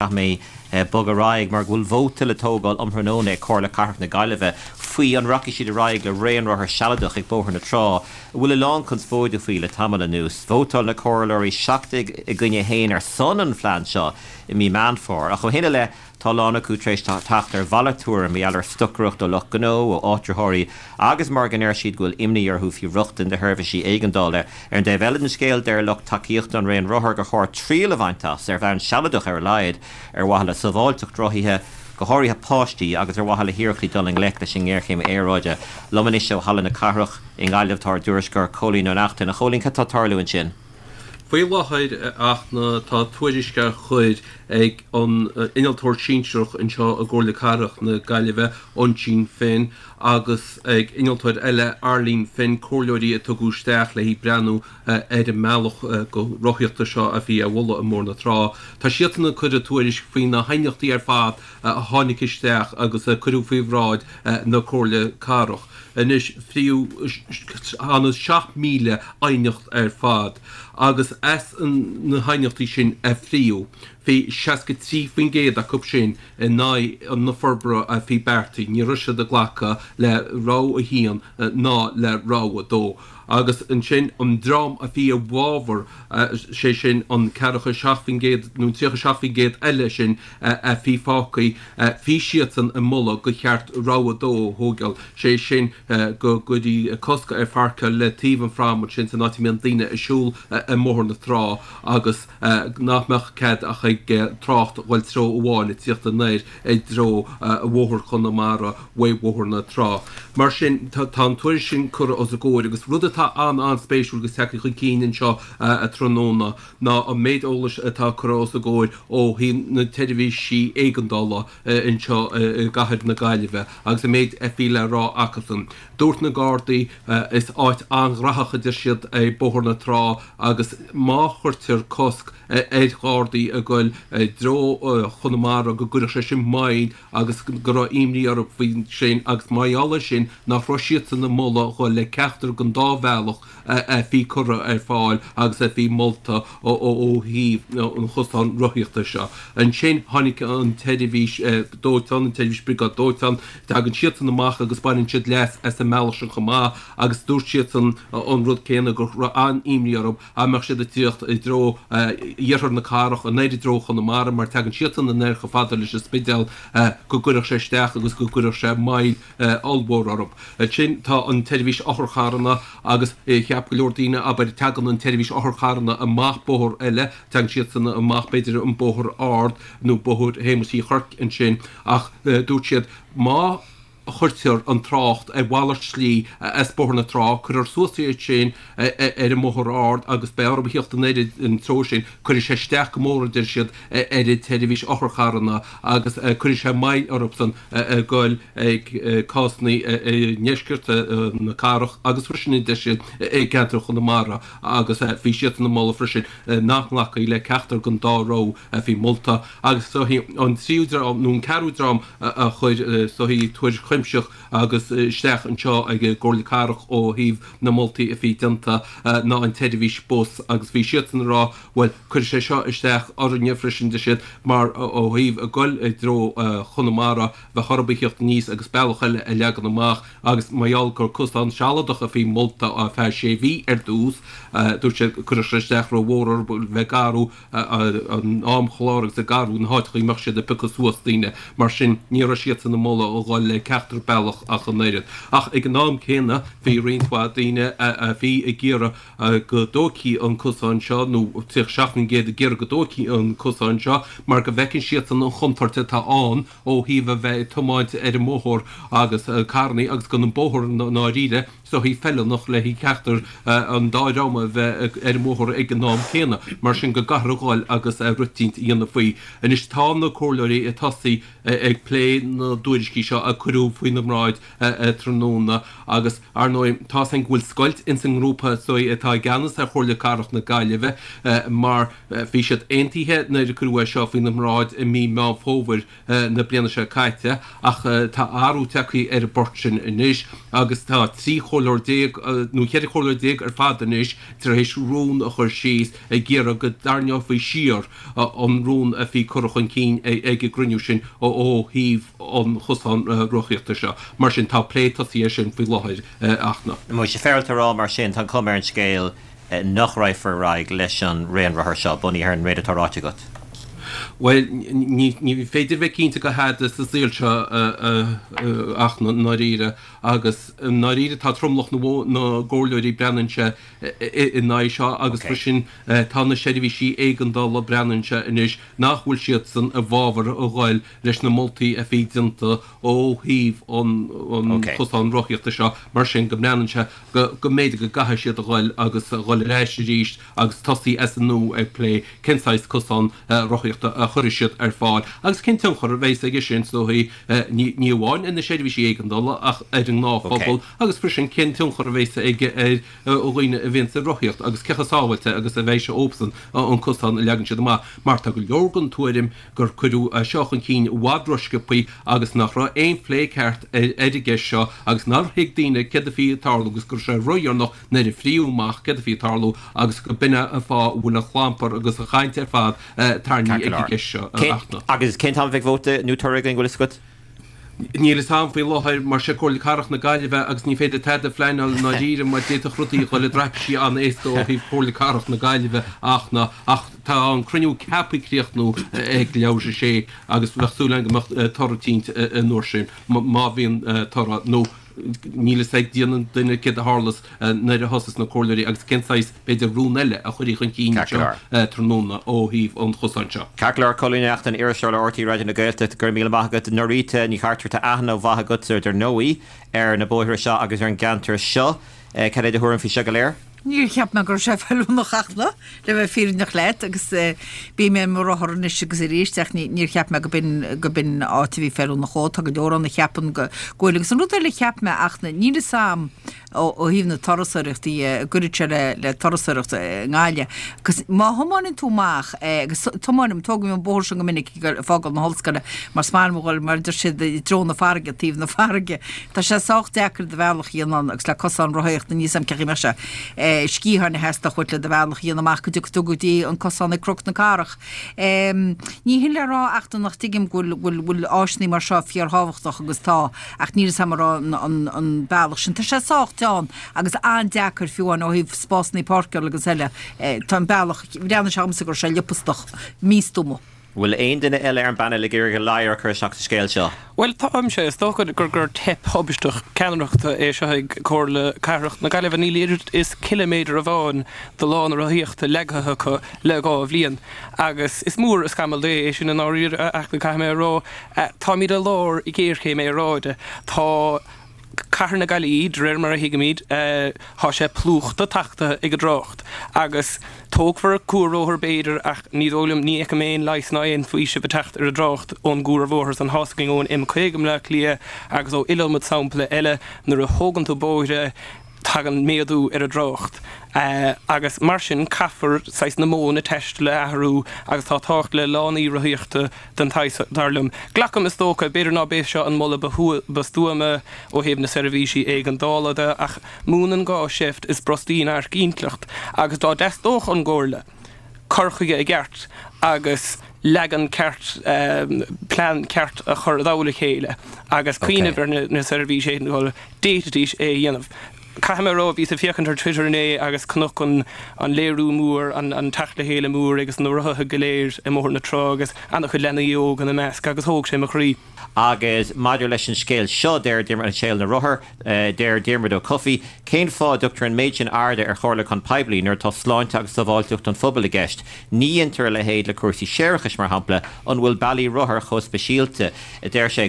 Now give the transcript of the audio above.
Caithfidh mé bogadh ar aghaidh mar go bhfuil vóta le tógáil um thráthnóna ag Comhairle Cathrach na Gaillimhe faoi an rachaidh siad ar aghaidh le raon rothar sealadach ag Bóthar na Trá, a bhfuil a lán conspóide faoi le tamall anuas. Vótáil na comhairleoirí 17 i gcoinne 1 ar son an phlean seo i mí Meán Fómhair, ach ó shin i leith tá a lán acu tar éis teacht ar mhalairt tuairim mar gheall ar stocaireacht ó lucht gnó, ó áitritheoirí agus mar go ndeir siad go bhfuil imní orthu faoi rochtain do sheirbhísí éigeandála. Ar an dtaobh eile den scéal, deir lucht tacaíochta an raon rothar gur chóir triail a bhaint as, ar bhonn sealadach ar a laghad, ar mhaithe le sábháilteacht rothaithe, go háirithe páistí, agus ar mhaithe le hiarrachtaí dul i ngleic leis an ngéarchéim aeráide. Liom anois ó Halla na Cathrach i nGaillimh tá ár dtuairisceoir Cóilín Ó Neachtain. A Chóilín, cad tá ag tarlú ansin? Faoi láthair, a Fhachtna, tá tuairisc á chur ag an innealtóir sinsearach anseo i gComhairle Cathrach na Gaillimhe, Uinsíonn Finn, agus ag innealtóir eile, Arlene Finn, comhairleoirí a tugadh isteach le haghaidh breathnú ar an mbealach go rothaíochta seo a bhí á mholadh i mBóthar na Trá. Tá siadsan ag cur a dtuairisc faoi na haighneachtaí ar fad a tháinig isteach agus a cuireadh faoi bhráid na Comhairle Cathrach. Anois, tháinig 7,000 aighneacht ar fad agus as na haighneachtaí sin a fríodh, bhí 63% acu sin in aghaidh na forbartha a bhí beartaithe, ní raibh siad ag glacadh le rogha 1 ná le rogha 2. Agus ansin an dream a bhí i bhfabhar, sé sin an 47% nó an 37% eile sin a bhí fágtha, bhí siadsan ag moladh gur cheart rogha 2 a thógáil, sé sin go gcuirfí cosc ar pháirceáil le taobh an phrám ansin san áit a mbíonn daoine ag siúl i mBóthar na Trá agus nach mbeadh cead ach ag trácht dhul treo amháin ag tíocht anoir i dtreo Bhóthar Chonamara uaidh Bhóthar na Trá. Mar sin, tá an tuairisc sin curtha os a gcomhair agus rud atá an-an-spéisiúil agus tagtha chun cinn anseo tráthnóna ná an méid eolais atá curtha os a gcomhair ó thaobh na tseirbhísí éigeandála anseo i gcathair na Gaillimhe agus an méid a bhí le rá acusan. Dúirt na Gardaí, Is áit an-ghnóthach, a deir siad, é Bóthar na Trá agus má chuirtear cosc ar Ghardaí ag goil i dtreo Chonamara go gcuirfeadh sé sin moill agus go raibh imní orthu faoi sin agus mar gheall air sin nach raibh siadsan ag moladh dhul le ceachtar den dá bhealach a bhí curtha ar fáil agus a bhí molta ó thaobh an chosáin rothaíochta seo. Ansin tháinig an tseirbhís dóiteáin, an tseirbhís briogáid dóiteáin, tagann siadsan amach agus baineann siad leas as an mbealach sin chomh maith agus dúirt siadsan an rud céanna, go raibh an-imní orthu dá mbeadh siad ag tíocht i dtreo iarthar na cathrach, anoir i dtreo Chonamara, mar tagann siadsan anoir chomh fada leis an Spidéal, go gcuirfeadh sé isteach agus go gcuirfeadh sé moill ollmhór orthu. Ansin tá an tseirbhís otharcharranna agus cheap go leor daoine, abair, tagann an tseirbhís otharcharranna amach bóthar eile, tagann siadsan amach b'fhéidir an Bóthar Ard nó Bóthar Shéamuis Uí Chuirc ansin ach dúirt siad má chuirtear an trácht ar mhalairt slí as Bóthar na Trá, cuirfear suas iad sin ar an mBóthar Ard agus beidh orthu a thíocht anoir an treo sin, cuirfidh sé isteach go mór, a deir siad, ar an tseirbhís otharcharranna agus cuirfidh sé moill orthusan ag goil ag cásanna i ndeisceart na cathrach agus freisin, a deir siad, i gceantar Chonamara agus bhí siadsan ag moladh freisin nach nglacfaí le ceachtar den dá rogha a bhí molta agus an tríú dream nó an ceathrú dream a chuir tuairisc chuimsitheach agus isteach anseo ag an gComhairle Cathrach ó thaobh na moltaí a bhí déanta ná an tseirbhís bus agus bhí siadsan ag rá bhuel cuirfidh sé seo isteach orainne freisin deir siad mar ó thaobh ag goil i dtreo Chonamara bheadh orthu a thíocht aníos agus bealach eile a leagan amach agus mar gheall gur cosán sealadach a bhí molta ar feadh sé mhí ar dtús dúirt siad cuirfeadh sé isteach rómhór orthu bheith ag athrú an amchlár agus ag athrú na háiteacha a mbeadh siad ag piocadh suas daoine. Mar sin, ní raibh siadsan ag moladh a dhul le ceachtar bealach ach an oiread. Ach ag an am céanna, bhí roinnt mhaith daoine a bhí ag iarraidh go dtógfaí an cosán seo, nó 37% ag iarraidh go dtógfaí an cosán seo, mar go bhfeiceann siadsan an chontúirt atá ann ó thaobh a bheith ag tiomáint ar an mbóthar agus carrannaí agus gan an bóthar i ndáiríre is dóichí feiliúnach le haghaidh ceachtar an dá dhream a bheith ar an mbóthar ag an am céanna. Mar sin go gcaithfear a dhul agus rud eicínt a dhéanamh faoi. Anois tá na comhairleoirí ag tosaí ag plé na dtuairiscí seo a cuireadh. cuireadh faoina mbráid tráthnóna agus, ar ndóigh, tá's againn go bhfuil scoilt ins an ngrúpa is dóigh atá i gceannas ar Chomhairle Cathrach na Gaillimhe mar bhí siad aontaithe nuair a cuireadh é seo faoina mbráid i mí Meán Fómhair na bliana seo caite ach tá athrú tagtha ar an bport sin anois agus tá 13 chomhairleoir nó 14 chomhairleoir ar fad anois tar éis rún a chur síos ag iarraidh go dtarraingeofaí siar an rún a bhí curtha chun cinn ag an gcruinniú sin ó thaobh an chosáin rothaíochta seo. Mar sin tá plé tosaithe air sin faoi láthair ach na. An bhfuil sé féaráilte a rá mar sin, tá an chuma ar an scéal nach raghfar ar aghaidh leis an raon rothar seo, bunaithe ar an méid atá ráite agat? Bhuel, ní féidir bheith cinnte de thada sa saol seo ach i ndáiríre, agus i ndáiríre tá tromlach na gcomhairleoirí breathnaíonn sé in aghaidh seo agus freisin tá na seirbhísí éigeandála breathnaíonn sé anois nach bhfuil siadsan i bhfabhar a ghoil leis na moltaí a bhí déanta ó thaobh an chosáin rothaíochta seo mar sin go mbreathnaíonn sé go mb'fhéidir go gcaithfidh siad a ghoil agus a ghoil ar ais arís agus tosaí as an nua ag plé cén saghas cosán rothaíochta a chuirfidh siad ar fáil agus cén tionchar a bheas aige sin is dóigh ní amháin ar na seirbhísí éigeandála ach ar an ngnáthphobal agus freisin cén tionchar a bheas aige ar dhaoine a bhíonns ag rothaíocht agus cé chomh sábháilte agus a bheidh sé dóibhsan an cosán a leagann siad amach mar tá go leor den tuairim gur cuireadh é seo chun cinn i bhfad rósciobthaí agus nach raibh aon phlé ceart ar an gceist seo agus nár thuig daoine céard a bhí ag tarlú agus go raibh sé ródheireanach nuair a frítheadh amach céard a bhí ag tarlú agus go b'in é an fáth a bhfuil an clampar agus an chaint ar fad tarraingthe ag an gceist seo ach na. Agus cén t-am a bheidh vóta nó toradh againn, bhfuil fhios agat? Níl fhios a'm faoi láthair mar sé Comhairle Cathrach na Gaillimhe agus ní féidir tada a phleanáil i ndáiríre mar d'fhéadfadh rudaí a dhul i dtraipisí an-éasca ó thaobh Chomhairle Cathrach na Gaillimhe ach na ach tá an cruinniú ceaptha críochnú ag leathuair tar éis a sé agus bheadh súil againn go mbeadh toradh eicínt an uair sin má bhíonn toradh nó níl fhios ag Dia ná duine céard a tharlós nuair a thosós na comhairleoirí agus cén saghas, b'fhéidir, rún eile a chuirfí chun cinn anseo tráthnóna ó thaobh an chosáin seo. Ceart go leor, Cóilín Ó Neachtain, iriseoir le RTÉ Raidió na Gaeltachta, go raibh míle maith agat. Norita Ní Chartúir, tá aithne mhaith agatsa, dar ndóigh, ar na bóithre seo agus ar an gceantar seo. Cad é do thuairim faoi seo go léir? Níor cheap mé go raibh sé feiliúnach ach le bheith fírinneach leat agus bím ar mo rothar anois agus arís ach níor cheap mé go b'in go b'in áit a bhí feiliúnach dhó. Tá go leor ann a cheapann go bhfuil agus an rud eile a cheap mé ach níl fhios a'm ó thaobh na turasóireachta dhe an gcuirfidh sé le le turasóireacht i nGaillimh agus má thiomáineann tú amach agus tiomáinim tógaim an bóthar sin go minic ag fágáil na hollscoile mar is maith liom a dhul mar a deir siad i dtreo na farraige taobh na farraige Tá sé sách deacair do bhealach a dhéanamh ann agus le cosán rothaíochta níl 'fhios a'm cén chaoi a mbeadh sé. Sciatháin a theastódh uait le do bhealach a dhéanamh amach go dtiocfaidh tú go dtí an cosán ag Cnoc na Cathrach. Ní hin le rá ach nach dtuigim go bhfuil bhfuil áiseanna mar seo fíorthábhachtach agus tá ach níl 'fhios a'm an raibh an an bealach sin. Tá sé sách teann agus an-deacair fiú amháin ó thaobh spásanna páirceála agus eile. Tá an bealach, bhreathnaigh sé dhomsa go raibh sé liopastach, místuama. Bhfuil aon duine eile ar an bpainéal ag iarraidh a ladhar a chur isteach sa scéal seo? Bhuel, táimse. Is dócha gur gur teip thubaisteach ceannaireachta é seo ag Comhairle Cathrach na Gaillimhe. Níl oiread is ciliméadar amháin de lána rothaíochta leagtha acu le 2 bhliain. Agus is mór an scamall Dé é sin i ndáiríre, ach caithfidh mé a rá, táimid i lár géarchéim aeráide. Tá. Cathair na Gaillimhe, de réir mar a thuigimid, tá sé plúchta tachtaithe ag an dtrácht agus tógfar cuarbhóthar b'fhéidir ach ní dóigh liom, ní fheicim aon leigheas ná aon faoiseamh ag teacht ar an dtrácht ón gcuarbhóthar san. Tá's againn ón M50 i mBleá Cliath agus ó iliomad sampla eile nuair a thógann tú bóithre tagann méadú ar an dtrácht agus mar sin caithfear saghas na modhanna taistil a athrú agus tá tábhacht le lánaí rothaíochta den tsaghas, dar liom. Glacaim, is dócha, b'fhéidir ná b'é seo an moladh ba stuama ó thaobh na seirbhísí éigeandála de, ach múineann gá seift is brostaíonn adharc intleacht, agus dá dteastódh ón gComhairle cur chuige i gceart agus leagan ceart, plean ceart a chur i dtoll a chéile agus cuimhneamh ar na seirbhísí éigeandála, d'fhéadfaidís é a dhéanamh. Caithfidh mé a rá, bhíos ag féachaint ar Twitter inné agus chonac an an léiriú mór, an teacht le chéile mór agus na rothaithe go léir i mBóthar na Trá agus an-chuid leanaí óga ina measc agus thóg sé mo chroí. Agus maidir leis an scéal seo, deir Diarmuid, an scéal na rothar, deir Diarmuid Ó Cofaigh, cén fáth a dtugtar an méid sin airde ar chomhairliúchán poiblí nuair atá sláinte agus sábháilteacht an phobail i gceist? Ní dhéantar a leithéid le cúrsaí séarachais, mar shampla. An bhfuil bealaí rothar chomh speisialta? a deir sé.